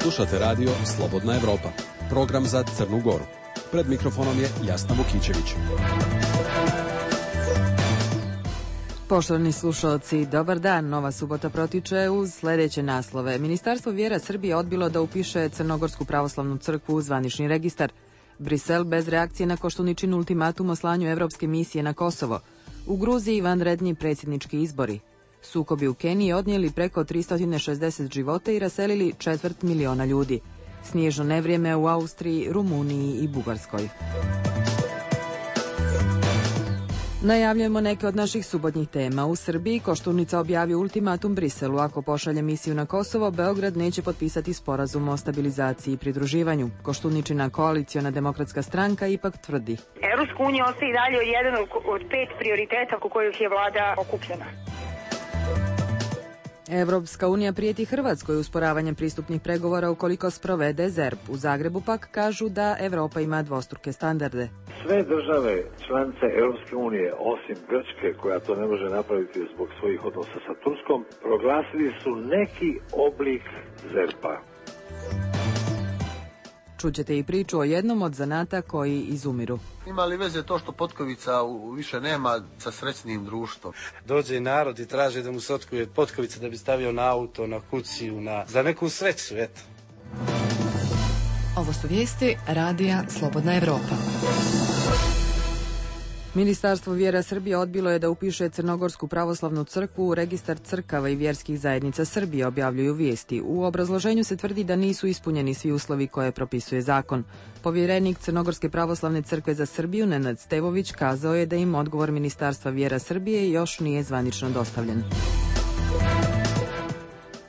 Slušate radio Slobodna Evropa, program za Crnu Goru. Pred mikrofonom je Jasna Vukićević. Poštovani slušalci, dobar dan. Nova subota protiče uz sljedeće naslove. Ministarstvo vjera Srbije odbilo da upiše Crnogorsku pravoslavnu crkvu u zvanični registar. Brisel bez reakcije na Koštuničin ultimatum o slanju evropske misije na Kosovo. U Gruziji vanredni predsjednički izbori. Sukobi u Keniji odnijeli preko 360 života i raselili 250.000 ljudi. Snježno nevrijeme u Austriji, Rumuniji i Bugarskoj. Najavljujemo neke od naših subotnjih tema. U Srbiji Koštunica objavio ultimatum Briselu. Ako pošalje misiju na Kosovo, Beograd neće potpisati sporazum o stabilizaciji i pridruživanju. Koštuničina koaliciona demokratska stranka ipak tvrdi: Evropska unija ostaje i dalje jedan od 5 prioriteta oko kojih je vlada okupljena. Evropska unija prijeti Hrvatskoj usporavanjem pristupnih pregovora ukoliko sprovede ZERP. U Zagrebu pak kažu da Evropa ima dvostruke standarde. Sve države članice Europske unije, osim Grčke, koja to ne može napraviti zbog svojih odnosa sa Turskom, proglasili su neki oblik ZERP-a. Čućete i priču o jednom od zanata koji izumiru. Ima li veze to što potkovica više nema sa srećnim društvom? Dođe narod i traži da mu se otkuje potkovica da bi stavio na auto, na kuciju, za neku sreću, eto. Ovo su vijesti radija Slobodna Evropa. Ministarstvo vjera Srbije odbilo je da upiše Crnogorsku pravoslavnu crkvu u registar crkava i vjerskih zajednica Srbije, objavljuju vijesti. U obrazloženju se tvrdi da nisu ispunjeni svi uslovi koje propisuje zakon. Povjerenik Crnogorske pravoslavne crkve za Srbiju, Nenad Stevović, kazao je da im odgovor Ministarstva vjera Srbije još nije zvanično dostavljen.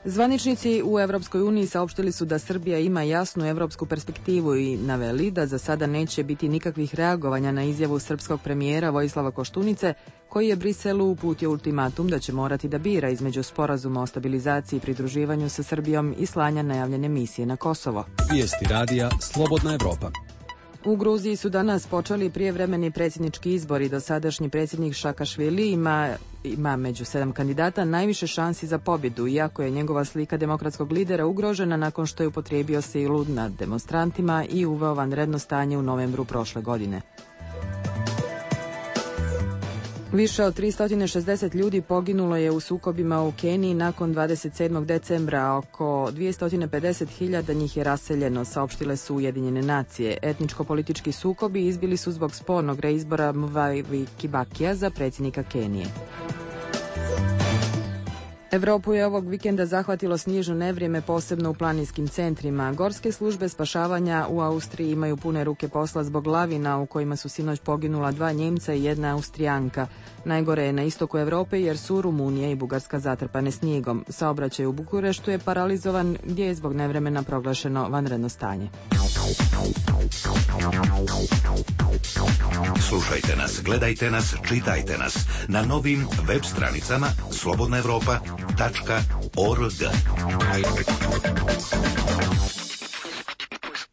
Zvaničnici u Evropskoj uniji saopštili su da Srbija ima jasnu evropsku perspektivu i naveli da za sada neće biti nikakvih reagovanja na izjavu srpskog premijera Vojislava Koštunice, koji je Briselu uputio ultimatum da će morati da bira između sporazuma o stabilizaciji i pridruživanju sa Srbijom i slanja najavljene misije na Kosovo. Vijesti radija Slobodna Evropa. U Gruziji su danas počeli prijevremeni predsjednički izbori. Dosadašnji predsjednik Šakašvili ima među 7 kandidata najviše šansi za pobjedu, iako je njegova slika demokratskog lidera ugrožena nakon što je upotrijebio silu nad demonstrantima i uveo vanredno stanje u novembru prošle godine. Više od 360 ljudi poginulo je u sukobima u Keniji nakon 27. decembra, a oko 250.000 njih je raseljeno, saopštile su Ujedinjene nacije. Etničko-politički sukobi izbili su zbog spornog reizbora Mwai Kibakija za predsjednika Kenije. Evropu je ovog vikenda zahvatilo snježno nevrijeme, posebno u planinskim centrima. Gorske službe spašavanja u Austriji imaju pune ruke posla zbog lavina u kojima su sinoć poginula 2 Njemca i 1 Austrijanka. Najgore je na istoku Europe jer su Rumunija i Bugarska zatrpane snijegom. Saobraćaj u Bukureštu je paralizovan gdje je zbog nevremena proglašeno vanredno stanje. Slušajte nas, gledajte nas, čitajte nas na novim web stranicama slobodnaevropa.org.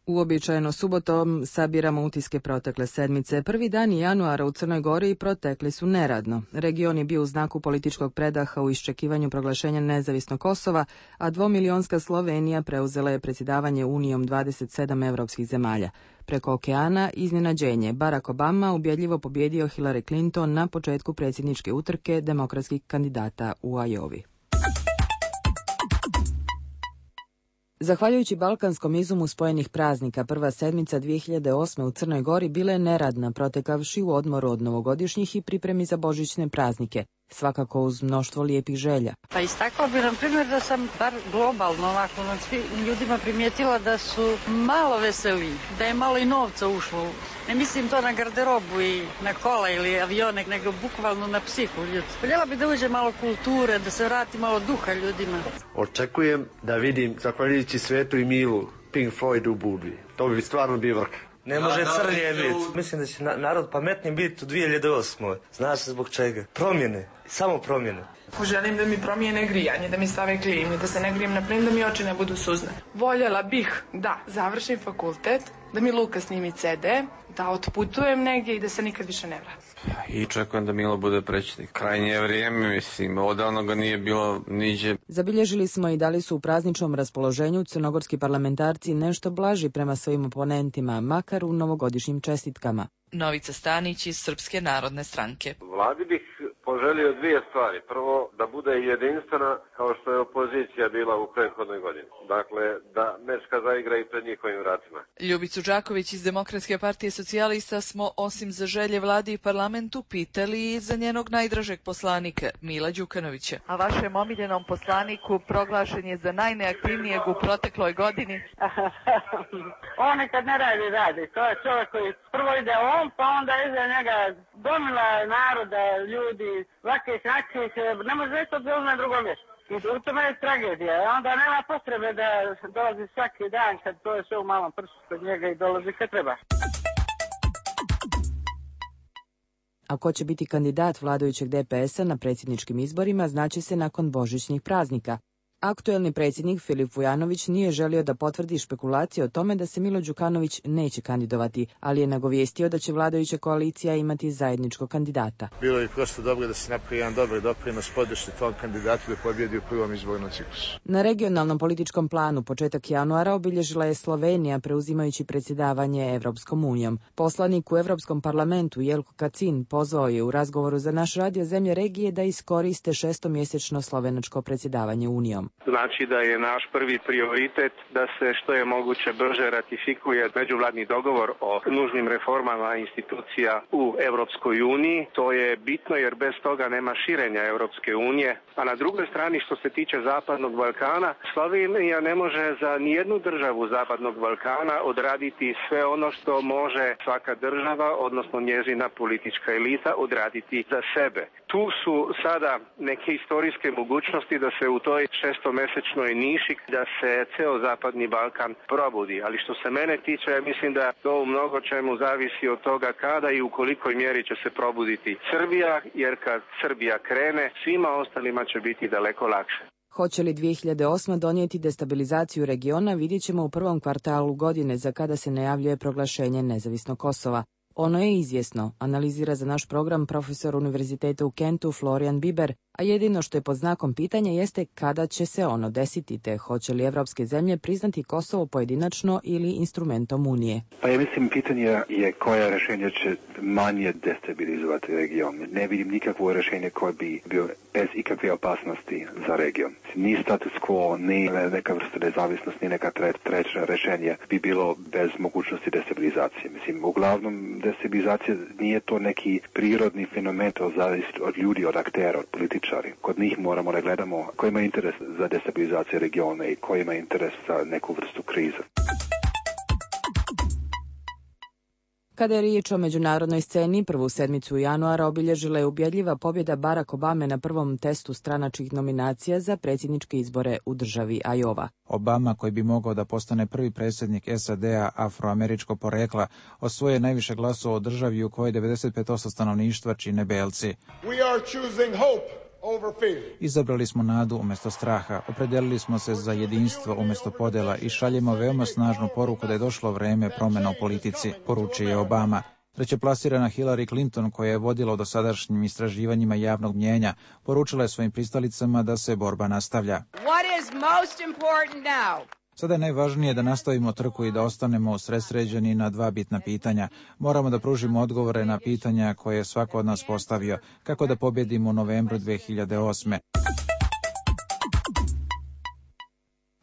Uobičajeno subotom sabiramo utiske protekle sedmice. Prvi dani januara u Crnoj Gori protekli su neradno. Region je bio u znaku političkog predaha u iščekivanju proglašenja nezavisnog Kosova, a 2-milionska Slovenija preuzela je predsjedavanje Unijom 27 evropskih zemalja. Preko okeana iznenađenje. Barack Obama ubjedljivo pobjedio Hillary Clinton na početku predsjedničke utrke demokratskih kandidata u Iowi. Zahvaljujući balkanskom izumu spojenih praznika, prva sedmica 2008. u Crnoj Gori bila je neradna, protekavši u odmoru od novogodišnjih i pripremi za božićne praznike, svakako uz mnoštvo lijepih želja. Pa istakao bi, na primjer, da sam bar globalno ovako nad svim ljudima primijetila da su malo veseli, da je malo i novca ušlo. Ne mislim to na garderobu i na kola ili avione, nego bukvalno na psihu ljudi. Voljela bi da uđe malo kulture, da se vrati malo duha ljudima. Očekujem da vidim, zahvaljujući Svetu i Milu, Pink Floyd u Budvi. To bi stvarno bio vrh. Ne može crnije biti. Mislim da će narod pametniji biti u 2008. Znaš zbog čega? Promjene. Samo promjene. Želim da mi promijene grijanje, da mi stave klimu, da se ne grijem na plin, da mi oči ne budu suzne. Voljela bih da završim fakultet da mi Luka snimi CD, da otputujem negdje i da se nikad više ne vratim. I čekujem da Milo bude predsjednik. Krajnje je vrijeme, mislim, odavno ga nije bilo niđe. Zabilježili smo i da li su u prazničnom raspoloženju crnogorski parlamentarci nešto blaži prema svojim oponentima, makar u novogodišnjim čestitkama. Novica Stanić iz Srpske narodne stranke. Vladi bih poželio dvije stvari. Prvo, da bude jedinstvena kao što je opozicija bila u prethodnoj godini. Dakle, da Mečka zaigra i pred njihovim vratima. Ljubicu Đaković iz Demokratske partije socijalista smo osim za želje vladi i parlamentu pitali i za njenog najdražeg poslanika, Mila Đukanovića. A vašem omiljenom poslaniku proglašen je za najneaktivnijeg u protekloj godini. On kad ne radi. To je čovjek koji prvo ide on, pa onda iza njega gomila naroda, ljudi, svake snaći, ne može reći od na drugom mjestu. I u tome je tragedija. Onda nema potrebe da dolazi svaki dan kad to je sve u malom prstu kod njega i dolazi kad treba. A ko će biti kandidat vladajućeg DPS-a na predsjedničkim izborima znaće se nakon božićnih praznika. Aktuelni predsjednik Filip Vujanović nije želio da potvrdi špekulacije o tome da se Milo Đukanović neće kandidovati, ali je nagovijestio da će vladajuća koalicija imati zajedničkog kandidata. Bilo je prosto dobro da se napravi jedan dobar doprinos podršci tom kandidatu da pobjedi u prvom izbornom ciklusu. Na regionalnom političkom planu početak januara obilježila je Slovenija preuzimajući predsjedavanje Evropskom unijom. Poslanik u Evropskom parlamentu Jelko Kacin pozvao je u razgovoru za naš radio zemlje regije da iskoriste šestomjesečno slovenačko predsjedavanje unijom. Znači da je naš prvi prioritet da se što je moguće brže ratifikuje međuvladni dogovor o nužnim reformama institucija u Europskoj uniji. To je bitno jer bez toga nema širenja Europske unije. A na drugoj strani što se tiče Zapadnog Balkana, Slovenija ne može za nijednu državu Zapadnog Balkana odraditi sve ono što može svaka država, odnosno njezina politička elita, odraditi za sebe. Tu su sada neke historijske mogućnosti da se u toj šestomesečnoj niši da se ceo Zapadni Balkan probudi. Ali što se mene tiče, ja mislim da to u mnogo čemu zavisi od toga kada i u kolikoj mjeri će se probuditi Srbija, jer kad Srbija krene, svima ostalima će biti daleko lakše. Hoće li 2008. donijeti destabilizaciju regiona, vidjet ćemo u prvom kvartalu godine za kada se najavljuje proglašenje nezavisnog Kosova. Ono je izvjesno, analizira za naš program profesor Univerziteta u Kentu Florian Biber, a jedino što je pod znakom pitanja jeste kada će se ono desiti, te hoće li evropske zemlje priznati Kosovo pojedinačno ili instrumentom Unije. Pa ja mislim pitanje je koja rješenja će manje destabilizovati region. Ne vidim nikakvo rješenje koje bi bio bez ikakve opasnosti za region. Ni status quo, ni neka vrsta nezavisnosti, ni neka treća rješenje bi bilo bez mogućnosti destabilizacije. Mislim, uglavnom destabilizacija nije to neki prirodni fenomen, to zavisi od ljudi, od aktera, od političara. Kod njih moramo da gledamo ko ima interes za destabilizaciju regiona i ko ima interes za neku vrstu krize. Kada je riječ o međunarodnoj sceni, prvu sedmicu januara obilježila je ubjedljiva pobjeda Barack Obame na prvom testu stranačkih nominacija za predsjedničke izbore u državi Iowa. Obama, koji bi mogao da postane prvi predsjednik SAD-a afroameričkog porekla, osvojio je najviše glasova u državi u kojoj 95% stanovništva čine belci. Izabrali smo nadu umjesto straha, opredelili smo se za jedinstvo umjesto podjela i šaljemo veoma snažnu poruku da je došlo vreme promjena u politici, poručio je Obama. Trećeplasirana Hillary Clinton, koja je vodila u dosadašnjim istraživanjima javnog mnijenja, poručila je svojim pristalicama da se borba nastavlja. Sada je najvažnije da nastavimo trku i da ostanemo usredsređeni na dva bitna pitanja. Moramo da pružimo odgovore na pitanja koje je svako od nas postavio, kako da pobjedimo u novembru 2008.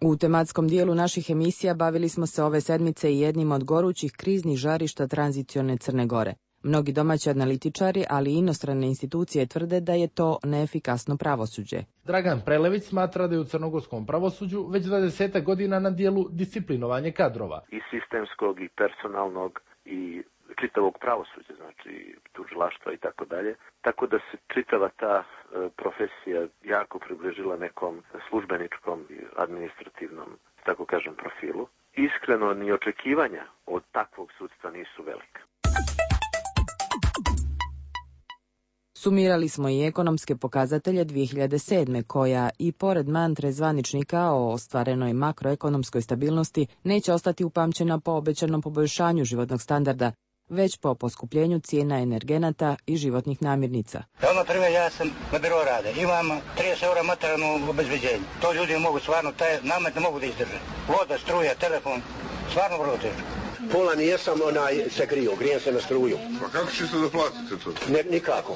U tematskom dijelu naših emisija bavili smo se ove sedmice i jednim od gorućih kriznih žarišta tranzicione Crne Gore. Mnogi domaći analitičari, ali i inostrane institucije tvrde da je to neefikasno pravosuđe. Dragan Prelević smatra da je u crnogorskom pravosuđu već 20 godina na dijelu disciplinovanje kadrova. I sistemskog, i personalnog, i čitavog pravosuđa, znači tužilaštva i tako dalje. Tako da se čitava ta profesija jako približila nekom službeničkom i administrativnom, tako kažem, profilu. Iskreno, ni očekivanja od takvog sudstva nisu velika. Sumirali smo i ekonomske pokazatelje 2007. koja i pored mantre zvaničnika o ostvarenoj makroekonomskoj stabilnosti neće ostati upamćena po obećanom poboljšanju životnog standarda, već po poskupljenju cijena energenata i životnih namirnica. Na primjer, ja sam na biro rade, imam 30 eura materijalno obezbeđenje. To ljudi mogu stvarno, taj namet ne mogu da izdrže. Voda, struja, telefon, stvarno vrlo teško. Pola nijesam se grijem se na struju. Pa kako ćete da platite to? Nikako.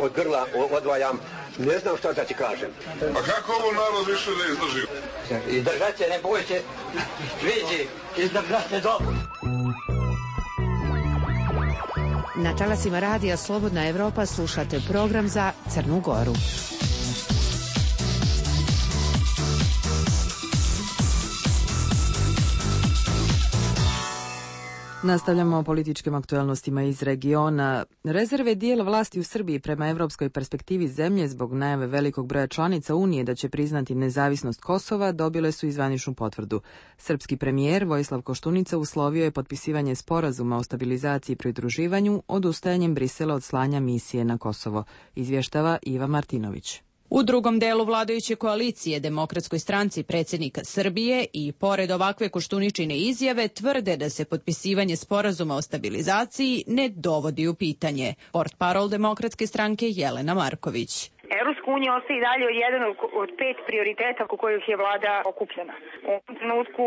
Od grla odvajam, ne znam šta da ti kažem. A kako ovo narod više ne izdrži? Izdržat se, ne boj se, vidi, izdržat se dobro. Na talasima radija Slobodna Evropa slušate program za Crnu Goru. Nastavljamo o političkim aktuelnostima iz regiona. Rezerve dijela vlasti u Srbiji prema evropskoj perspektivi zemlje zbog najave velikog broja članica Unije da će priznati nezavisnost Kosova dobile su i zvaničnu potvrdu. Srpski premijer Vojislav Koštunica uslovio je potpisivanje sporazuma o stabilizaciji i pridruživanju odustajanjem Brisela od slanja misije na Kosovo, izvještava Iva Martinović. U drugom delu vladajuće koalicije Demokratskoj stranci predsjednika Srbije i pored ovakve Koštuničine izjave tvrde da se potpisivanje sporazuma o stabilizaciji ne dovodi u pitanje. Portparol Demokratske stranke Jelena Marković. Evropska unija ostaje i dalje jedan od 5 prioriteta oko kojih je vlada okupljena. U ovom trenutku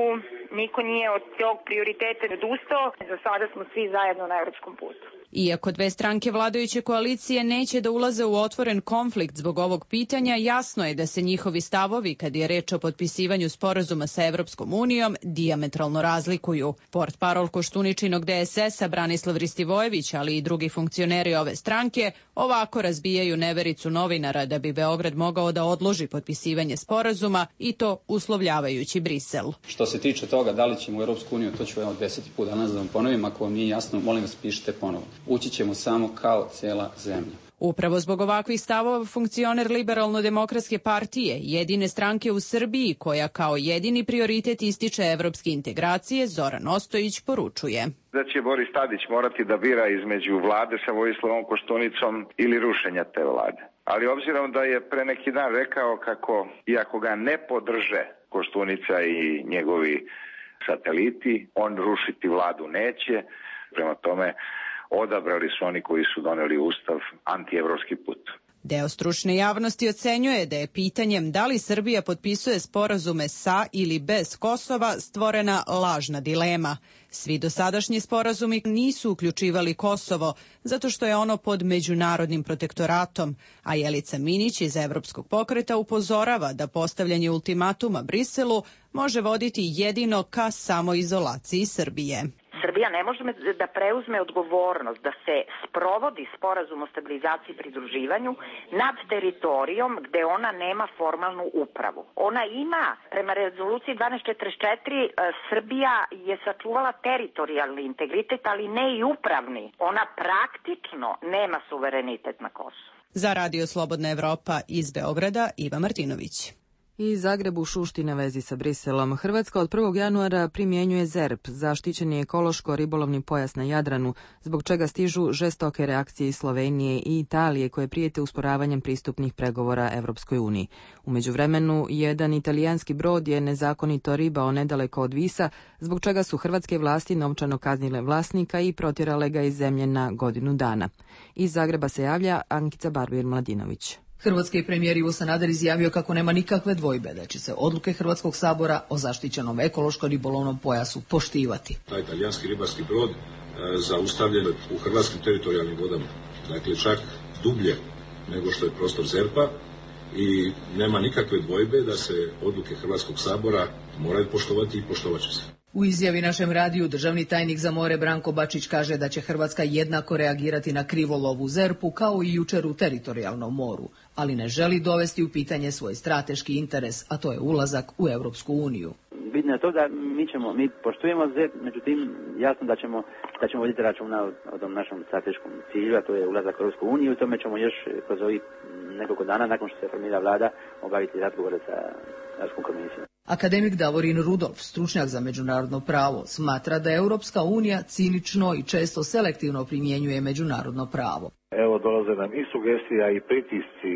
niko nije od tog prioriteta odustao. Za sada smo svi zajedno na evropskom putu. Iako dve stranke vladajuće koalicije neće da ulaze u otvoren konflikt zbog ovog pitanja, jasno je da se njihovi stavovi, kad je reč o potpisivanju sporazuma sa Evropskom unijom, dijametralno razlikuju. Portparol Koštuničinog DSS-a Branislav Ristivojević, ali i drugi funkcioneri ove stranke, ovako razbijaju nevericu novinara da bi Beograd mogao da odloži potpisivanje sporazuma i to uslovljavajući Brisel. Što se tiče toga da li ćemo u Europsku uniju, to ću 10. put danas da vam ponovim, ako vam nije jasno, molim vas pišite ponovo. Ući ćemo samo kao cijela zemlja. Upravo zbog ovakvih stavova funkcioner Liberalno-demokratske partije, jedine stranke u Srbiji koja kao jedini prioritet ističe evropske integracije, Zoran Ostojić poručuje. Da će Boris Tadić morati da bira između vlade sa Vojislavom Koštunicom ili rušenja te vlade. Ali obzirom da je pre neki dan rekao kako, iako ga ne podrže Koštunica i njegovi sateliti, on rušiti vladu neće, prema tome odabrali su oni koji su doneli ustav antievropski put. Deo stručne javnosti ocenjuje da je pitanjem da li Srbija potpisuje sporazume sa ili bez Kosova stvorena lažna dilema. Svi dosadašnji sporazumi nisu uključivali Kosovo zato što je ono pod međunarodnim protektoratom, a Jelica Minić iz Evropskog pokreta upozorava da postavljanje ultimatuma Briselu može voditi jedino ka samoizolaciji Srbije. Srbija ne može da preuzme odgovornost da se sprovodi sporazum o stabilizaciji i pridruživanju nad teritorijom gde ona nema formalnu upravu. Ona ima, prema rezoluciji 1244, Srbija je sačuvala teritorijalni integritet, ali ne i upravni. Ona praktično nema suverenitet na Kosovu. Za Radio Slobodna Evropa iz Beograda, Iva Martinović. I Zagreb u Šuštine vezi sa Briselom. Hrvatska od 1. januara primjenjuje ZERP, zaštićeni ekološko-ribolovni pojas na Jadranu, zbog čega stižu žestoke reakcije iz Slovenije i Italije koje prijete usporavanjem pristupnih pregovora Evropskoj uniji. U međuvremenu, jedan italijanski brod je nezakonito ribao nedaleko od Visa, zbog čega su hrvatske vlasti novčano kaznile vlasnika i protjerale ga iz zemlje na godinu dana. Iz Zagreba se javlja Ankica Barbir-Mladinović. Hrvatski premijer Ivo Sanader izjavio kako nema nikakve dvojbe da će se odluke Hrvatskog sabora o zaštićenom ekološko-ribolovnom pojasu poštivati. Taj italijanski ribarski brod zaustavljen u hrvatskim teritorijalnim vodama, dakle čak dublje nego što je prostor ZERP-a i nema nikakve dvojbe da se odluke Hrvatskog sabora moraju poštovati i poštovat će se. U izjavi našem radiju državni tajnik za more Branko Bačić kaže da će Hrvatska jednako reagirati na krivolov u ZERP-u kao i jučer u teritorijalnom moru, ali ne želi dovesti u pitanje svoj strateški interes, a to je ulazak u Europsku uniju. Bitno je to da mi poštujemo ZERP, međutim jasno da ćemo voditi računa o tom našem strateškom cilju, a to je ulazak u Europsku uniju, i tome ćemo još kroz ovih nekoliko dana nakon što se formira vlada obaviti razgovore sa Europskom komisijom. Akademik Davorin Rudolf, stručnjak za međunarodno pravo, smatra da Europska unija cinično i često selektivno primjenjuje međunarodno pravo. Evo dolaze nam i sugestija i pritisci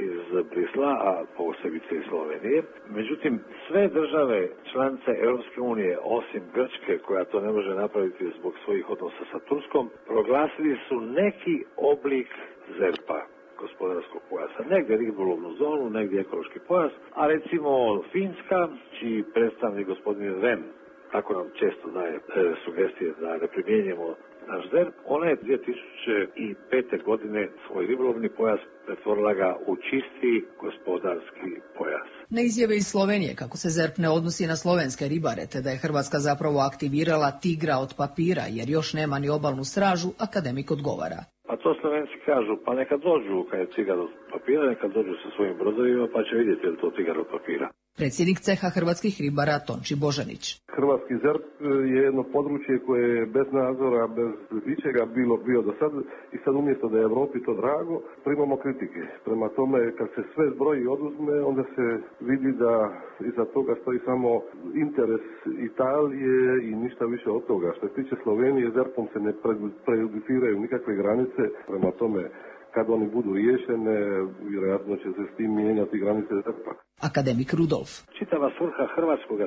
iz Brisla, a posebice iz Slovenije. Međutim, sve države članice Europske unije, osim Grčke, koja to ne može napraviti zbog svojih odnosa sa Turskom, proglasili su neki oblik ZERP-a, gospodarskog pojasa. Negdje ribolovnu zonu, negdje ekološki pojas, a recimo Finska, čiji predstavnik gospodin Rem, tako nam često daje sugestije da ne primjenjujemo naš ZERP, ona je 2005. godine svoj ribolovni pojas pretvorila ga u čisti gospodarski pojas. Na izjave iz Slovenije kako se ZERP ne odnosi na slovenske ribare, te da je Hrvatska zapravo aktivirala tigra od papira jer još nema ni obalnu stražu, akademik odgovara. Pa to Slovenci kažu, pa neka dođu kad je tigar od papira, neka dođu sa svojim brodovima pa će vidjeti je li to tigar od papira. Predsjednik ceha hrvatskih ribara Tonči Božanić. Hrvatski ZERP je jedno područje koje je bez nadzora, bez ičega bio do sad i sad umjesto da je Europi to drago, primamo kritike. Prema tome, kad se sve zbroji i oduzme, onda se vidi da iza toga stoji samo interes Italije i ništa više od toga. Što se tiče Slovenije, ZERP-om se ne prejudiciraju nikakve granice, prema tome kad oni budu riješene, vjerojatno će se s tim mijenjati granice ZERP-a. Akademik Rudolf. Čitava svrha hrvatskog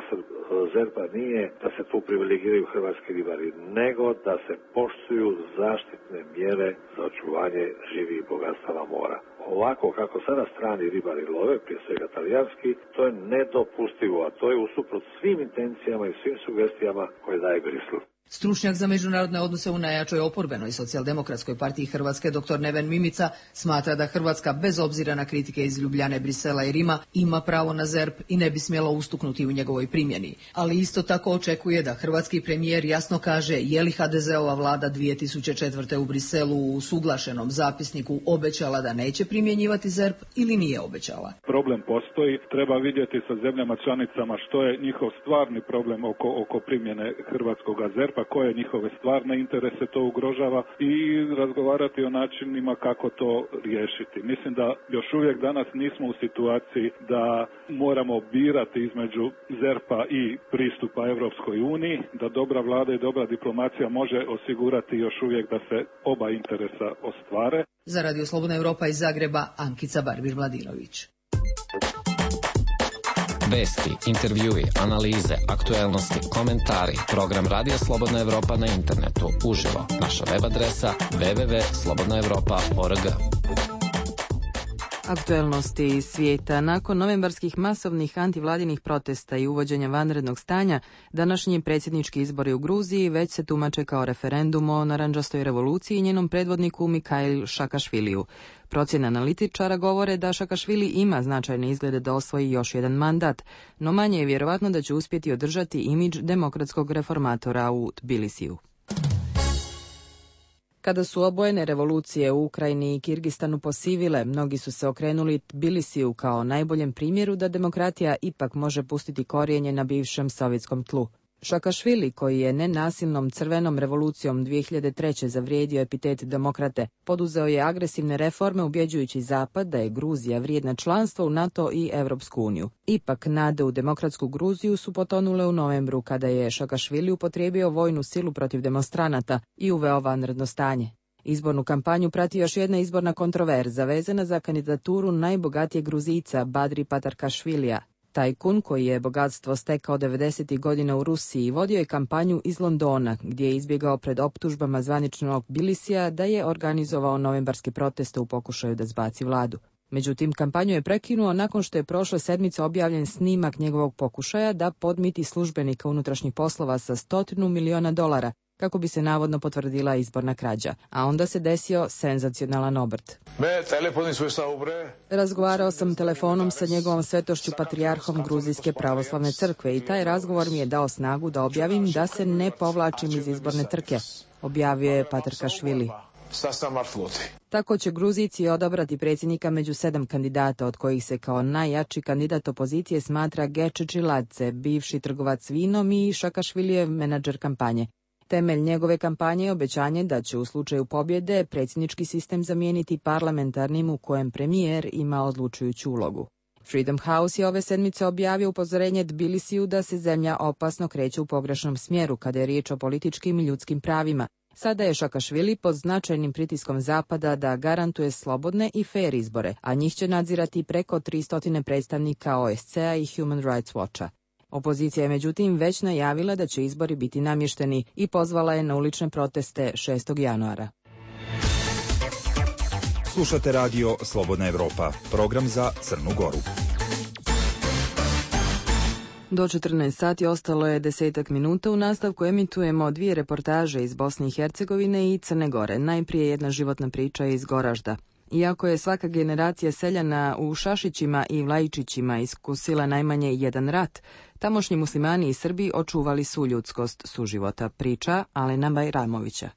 ZERP-a nije da se tu privilegiraju hrvatski ribari, nego da se poštuju zaštitne mjere za očuvanje živih bogatstava mora. Ovako kako sada strani ribari love, prije svega talijanski, to je nedopustivo, a to je usuprot svim intencijama i svim sugestijama koje daje Brisel. Stručnjak za međunarodne odnose u najjačoj oporbenoj socijaldemokratskoj partiji Hrvatske dr. Neven Mimica smatra da Hrvatska bez obzira na kritike iz Ljubljane, Brisela i Rima ima pravo na ZERP i ne bi smjela ustuknuti u njegovoj primjeni. Ali isto tako očekuje da hrvatski premijer jasno kaže je li HDZ-ova vlada 2004. u Briselu u usuglašenom zapisniku obećala da neće primjenjivati ZERP ili nije obećala. Problem postoji, treba vidjeti sa zemljama članicama što je njihov stvarni problem oko primjene hrvatskog ZERP-a, koje njihove stvarne interese to ugrožava i razgovarati o načinima kako to riješiti. Mislim da još uvijek danas nismo u situaciji da moramo birati između ZERP-a i pristupa Europskoj uniji, da dobra vlada i dobra diplomacija može osigurati još uvijek da se oba interesa ostvare. Za Radio Slobodna Europa iz Zagreba, Ankica Barbir-Mladinović. Vesti, intervjui, analize, aktuelnosti, komentari. Program Radio Slobodna Evropa na internetu. Uživo. Naša web adresa www.slobodnaevropa.org. Aktuelnosti iz svijeta. Nakon novembarskih masovnih antivladinih protesta i uvođenja vanrednog stanja, današnji predsjednički izbori u Gruziji već se tumače kao referendum o narandžastoj revoluciji i njenom predvodniku Mikhail Šakašviliju. Procjene analitičara govore da Šakašvili ima značajne izglede da osvoji još jedan mandat, no manje je vjerovatno da će uspjeti održati imidž demokratskog reformatora u Tbilisiju. Kada su obojene revolucije u Ukrajini i Kirgistanu posivile, mnogi su se okrenuli Tbilisiju kao najboljem primjeru da demokratija ipak može pustiti korijenje na bivšem sovjetskom tlu. Šakašvili, koji je nenasilnom crvenom revolucijom 2003. zavrijedio epitet demokrate, poduzeo je agresivne reforme ubjeđujući Zapad da je Gruzija vrijedna članstva u NATO i Europsku uniju. Ipak, nade u demokratsku Gruziju su potonule u novembru kada je Šakašvili upotrijebio vojnu silu protiv demonstranata i uveo vanredno stanje. Izbornu kampanju prati još jedna izborna kontroverza vezana za kandidaturu najbogatijeg Gruzijca Badri Patarkašvilija. Tajkun, koji je bogatstvo stekao 90. godina u Rusiji, vodio je kampanju iz Londona, gdje je izbjegao pred optužbama zvaničnog Tbilisija da je organizovao novembarske proteste u pokušaju da zbaci vladu. Međutim, kampanju je prekinuo nakon što je prošle sedmice objavljen snimak njegovog pokušaja da podmiti službenika unutrašnjih poslova sa $100 miliona, kako bi se navodno potvrdila izborna krađa. A onda se desio senzacionalan obrt. Razgovarao sam telefonom sa njegovom svetošću patrijarhom Gruzijske pravoslavne crkve i taj razgovor mi je dao snagu da objavim da se ne povlačim iz izborne trke, objavio je Patarkašvili. Tako će Gruzijci odabrati predsjednika među 7 kandidata, od kojih se kao najjači kandidat opozicije smatra Geče Čiladze, bivši trgovac vinom i Šakašvilijev menadžer kampanje. Temelj njegove kampanje je obećanje da će u slučaju pobjede predsjednički sistem zamijeniti parlamentarnim u kojem premijer ima odlučujuću ulogu. Freedom House je ove sedmice objavio upozorenje Tbilisiju da se zemlja opasno kreće u pogrešnom smjeru kada je riječ o političkim i ljudskim pravima. Sada je Šakašvili pod značajnim pritiskom Zapada da garantuje slobodne i fair izbore, a njih će nadzirati preko 300 predstavnika OSCE-a i Human Rights Watcha. Opozicija je međutim već najavila da će izbori biti namješteni i pozvala je na ulične proteste 6. januara. Slušate radio Slobodna Evropa, program za Crnu Goru. Do 14 sati ostalo je 10 minuta. U nastavku emitujemo 2 reportaže iz Bosne i Hercegovine i Crne Gore. Najprije jedna životna priča iz Goražda. Iako je svaka generacija seljana u Šašićima i Vlajičićima iskusila najmanje jedan rat, tamošnji muslimani i Srbi očuvali su ljudskost suživota. Priča Alena Bajramovića.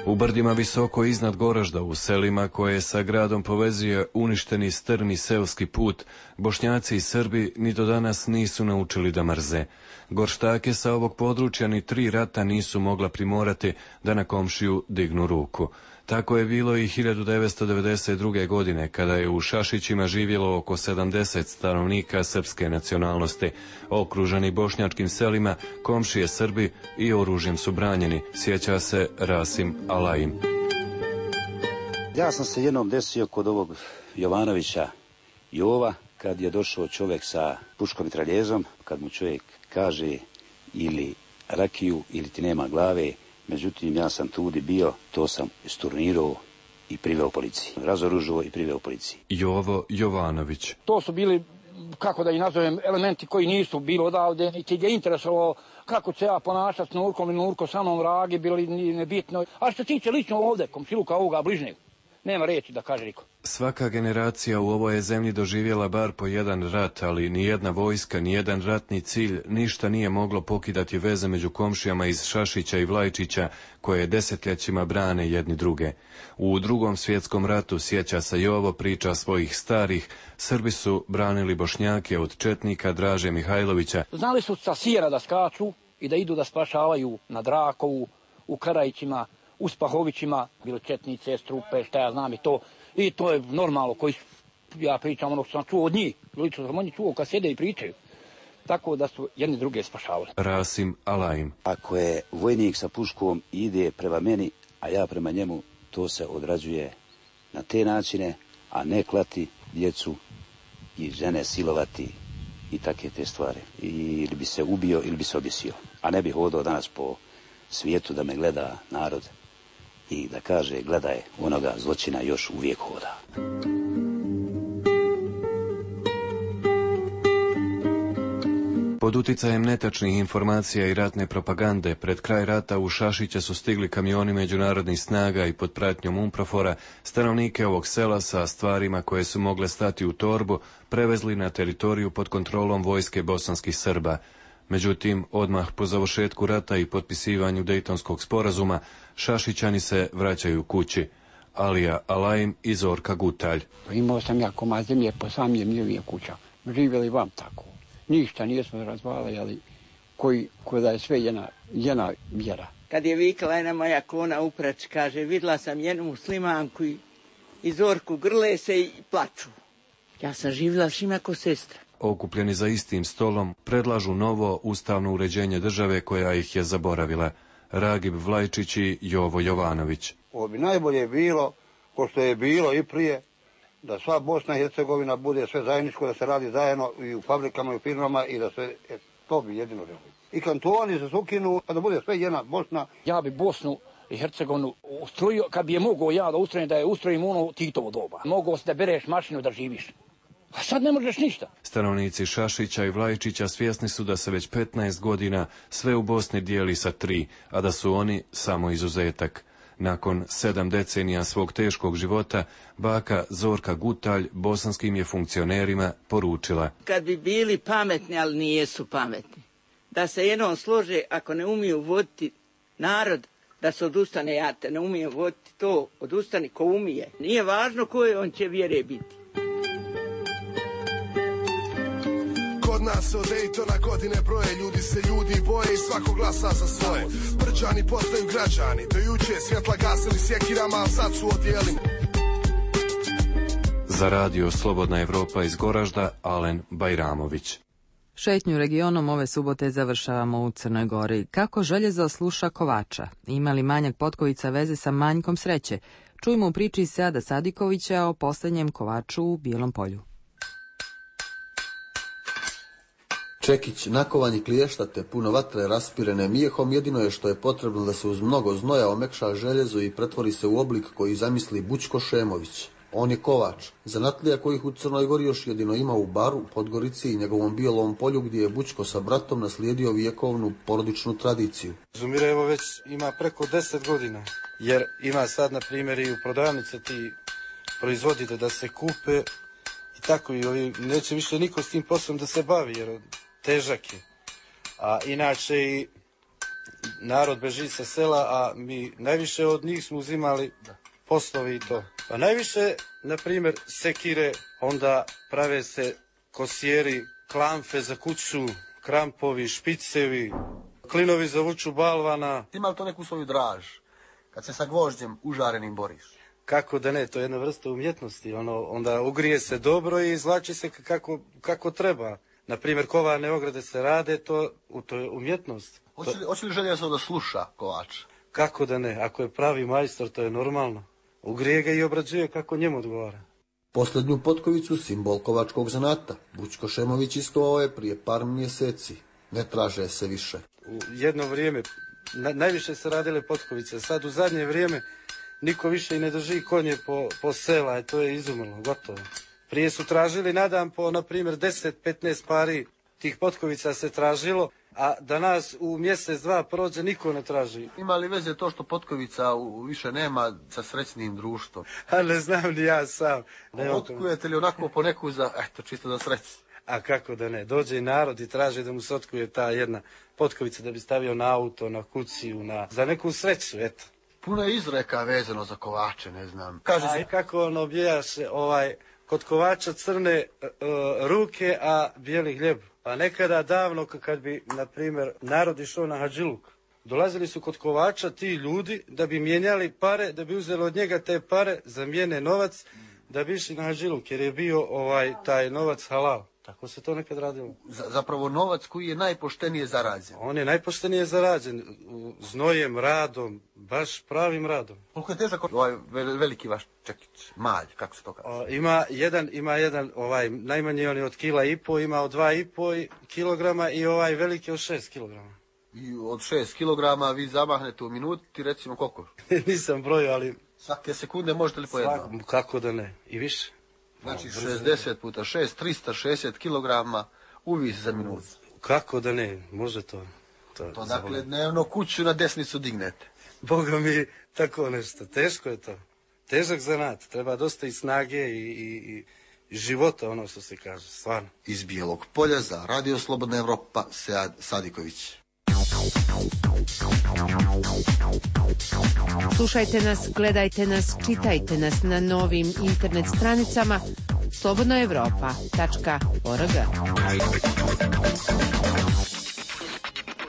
U brdima visoko iznad Goražda, u selima koje sa gradom povezuje uništeni strmi seoski put, Bošnjaci i Srbi ni do danas nisu naučili da mrze. Gorštake sa ovog područja ni 3 rata nisu mogla primorati da na komšiju dignu ruku. Tako je bilo i 1992. godine, kada je u Šašićima živjelo oko 70 stanovnika srpske nacionalnosti. Okruženi bošnjačkim selima, komšije Srbi i oružjem su branjeni, sjeća se Rasim Alajim. Ja sam se jednom desio kod ovog Jovanovića Jova, kad je došao čovjek sa puškom i traljezom, kad mu čovjek kaže ili rakiju ili ti nema glave. Međutim, ja sam tudi bio, to sam isturnirao i priveo policiji. Razoružio i priveo policiji. Jovo Jovanović. To su bili, kako da ih nazovem, elementi koji nisu bili odavde, niti je interesovalo kako će ja ponašati s Nurkom i Nurko sa mnom Ragi, bili nebitno. A što se tiče lično ovde, komšiluka ovoga bližnjeg, nema reći da kaže niko. Svaka generacija u ovoj je zemlji doživjela bar po jedan rat, ali nijedna vojska, nijedan ratni cilj, ništa nije moglo pokidati veze među komšijama iz Šašića i Vlajčića, koje desetljećima brane jedni druge. U Drugom svjetskom ratu, sjeća se Jovo, priča svojih starih, Srbi su branili Bošnjake od četnika Draže Mihajlovića. Znali su sa Sijera da skaču i da idu da spašavaju na Drakovu, u Karajićima, u Spahovićima, bili četnice, strupe, šta ja znam i to. I to je normalno, koji ja pričam ono što sam čuo od njih. Lično sam oni čuo kad sjede i pričaju. Tako da su jedni druge spašavali. Rasim Alajim. Ako je vojnik sa puškom ide prema meni, a ja prema njemu, to se odrađuje na te načine, a ne klati djecu i žene silovati i takve te stvari. Ili bi se ubio ili bi se objesio. A ne bi hodao danas po svijetu da me gleda narod i da kaže gledaj, onoga zločina još uvijek hoda. Pod uticajem netačnih informacija i ratne propagande, pred kraj rata u Šašiće su stigli kamioni međunarodnih snaga i pod pratnjom UNPROFOR-a stanovnike ovog sela sa stvarima koje su mogle stati u torbu prevezli na teritoriju pod kontrolom vojske bosanskih Srba. Međutim, odmah po završetku rata i potpisivanju Dejtonskog sporazuma, Šašićani se vraćaju kući. Alija Alajim i Zorka Gutalj. Imao sam ja komad zemlje po samljem njevije kuća. Živjeli vam tako. Ništa nismo razvalili, ali koji da je sve jedna vjera. Kad je vikala jedna moja klona uprać, kaže, vidjela sam jednu muslimanku i Zorku grle se i plaču. Ja sam živjela s njima ko sestra. Okupljeni za istim stolom, predlažu novo ustavno uređenje države koja ih je zaboravila. Ragib Vlajčić i Jovo Jovanović. Ovo bi najbolje bilo, ko što je bilo i prije, da sva Bosna i Hercegovina bude sve zajedničko, da se radi zajedno i u fabrikama i u firmama i da sve, to bi jedino želio. I kantoni se ukinu, a da bude sve jedna Bosna. Ja bi Bosnu i Hercegovinu ustrojio, kad bi je mogao ja da ustrojim, da je ustrojim ono Titovo doba. Mogao se da bereš mašinu da živiš. A sad ne možeš ništa. Stanovnici Šašića i Vlajčića svjesni su da se već 15 godina sve u Bosni dijeli sa 3, a da su oni samo izuzetak. Nakon 7 decenija svog teškog života, baka Zorka Gutalj bosanskim je funkcionerima poručila. Kad bi bili pametni, ali nijesu pametni, da se jednom slože, ako ne umiju voditi narod, da se odustane, ja te ne umijem voditi to, odustani ko umije. Nije važno koje on će vjere biti. kod nas se od Daytona godine broje, ljudi se ljudi boje i svako glasa za svoje. Brđani postaju građani, do juče svjetla gasili sjekirama, a sad su odijeli. Za radio Slobodna Evropa iz Goražda, Alen Bajramović. Šetnju regionom ove subote završavamo u Crnoj Gori. Kako željezo sluša kovača? Ima li manjak potkovica veze sa manjkom sreće? Čujmo u priči Seada Sadikovića o posljednjem kovaču u Bijelom Polju. Čekić, nakovanje kliještate, puno vatre raspirene mijehom, jedino je što je potrebno da se uz mnogo znoja omekša željezo i pretvori se u oblik koji zamisli Bućko Šemović. On je kovač, zanatlija kojih u Crnoj Gori još jedino ima u Baru, Podgorici i njegovom Bijelom Polju, gdje je Bućko sa bratom naslijedio vjekovnu porodičnu tradiciju. Zumirevo već ima preko 10 godina, jer ima sad, na primjer, i u prodavnice ti proizvodite da se kupe i tako, i ovi, neće više niko s tim poslom da se bavi, jer težak je. A inače i narod beži sa sela, a mi najviše od njih smo uzimali poslovi i to. Pa najviše, na primjer, sekire, onda prave se kosjeri, klamfe za kuću, krampovi, špicevi, klinovi za vuču balvana. Ima li to neku svoju draž, kad se sa gvožđem užarenim boriš? Kako da ne, to je jedna vrsta umjetnosti. Onda ugrije se dobro i izvlači se kako treba. Na primjer, kovane ograde se rade, to je umjetnost. Hoće li željezo da sluša kovač? Kako da ne, ako je pravi majstor, to je normalno. Ugrije ga i obrađuje kako njemu odgovara. Posljednju potkovicu, simbol kovačkog zanata, Bućko Šemović iskovao je prije par mjeseci. Ne traže se više. U jedno vrijeme najviše se radile potkovice. Sad u zadnje vrijeme niko više i ne drži konje po sela, to je izumrlo, gotovo. Prije su tražili na dan po, na primjer, 10-15 pari tih potkovica se tražilo, a danas u mjesec, dva prođe, niko ne traži. Ima li veze to što potkovica više nema sa srećnim društvom? A ne znam ni ja sam. Otkujete li onako po neku čisto za sreći? A kako da ne, dođe i narod i traži da mu se otkuje ta jedna potkovica da bi stavio na auto, na kuciju, za neku sreću, eto. Puno je izreka vezano za kovače, ne znam. Kaže se kako on objaše, kod kovača crne ruke, a bijeli hljeb. Pa nekada davno, kad bi, na primjer, narod išao na hadžiluk, dolazili su kod kovača ti ljudi da bi mijenjali pare, da bi uzeli od njega te pare, zamijene novac, da bi išli na hadžiluk, jer je bio taj novac halal. Tako se to nekad radilo. Zapravo novac koji je najpoštenije zarađen. On je najpoštenije zarađen, znojem, radom, baš pravim radom. Koliko je težak veliki vaš Čekić, malj, kako se to kaže? Ima jedan, najmanji on je od 1,5 kg, ima od 2,5 kilograma i veliki od 6 kilograma. I od 6 kilograma vi zamahnete u minuti, recimo koliko? Nisam brojio, ali... Svake sekunde možete li po jednom? Kako da ne, i više. Znači 60 puta 6, 360 kilograma uvis za minutu. Kako da ne, može to. To dakle dnevno kuću na desnicu dignete. Boga mi, tako nešto, teško je to. Težak zanat, treba dosta i snage i života, ono što se kaže, stvarno. Iz Bijelog Polja za Radio Slobodna Evropa, Sead Sadiković. Slušajte nas, gledajte nas, čitajte nas na novim internet stranicama slobodnoevropa.org.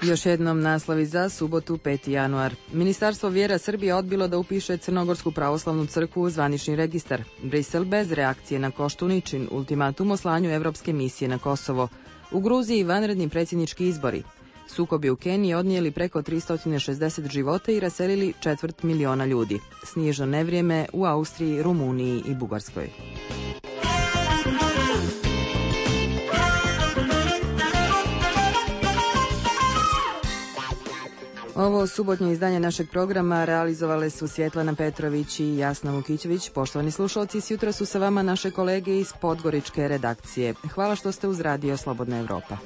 Još jednom naslovi za subotu 5. januar. Ministarstvo vjera Srbije odbilo da upiše Crnogorsku pravoslavnu crkvu u zvanični registar. Brisel bez reakcije na Koštuničin, ultimatum o slanju evropske misije na Kosovo. U Gruziji vanredni predsjednički izbori. Sukobi u Keniji odnijeli preko 360 života i raselili 250.000 ljudi. Snježno nevrijeme u Austriji, Rumuniji i Bugarskoj. Ovo subotnje izdanje našeg programa realizovale su Svjetlana Petrović i Jasna Vukićević. Poštovani slušalci, sjutra su sa vama naše kolege iz Podgoričke redakcije. Hvala što ste uz Radio Slobodna Evropa.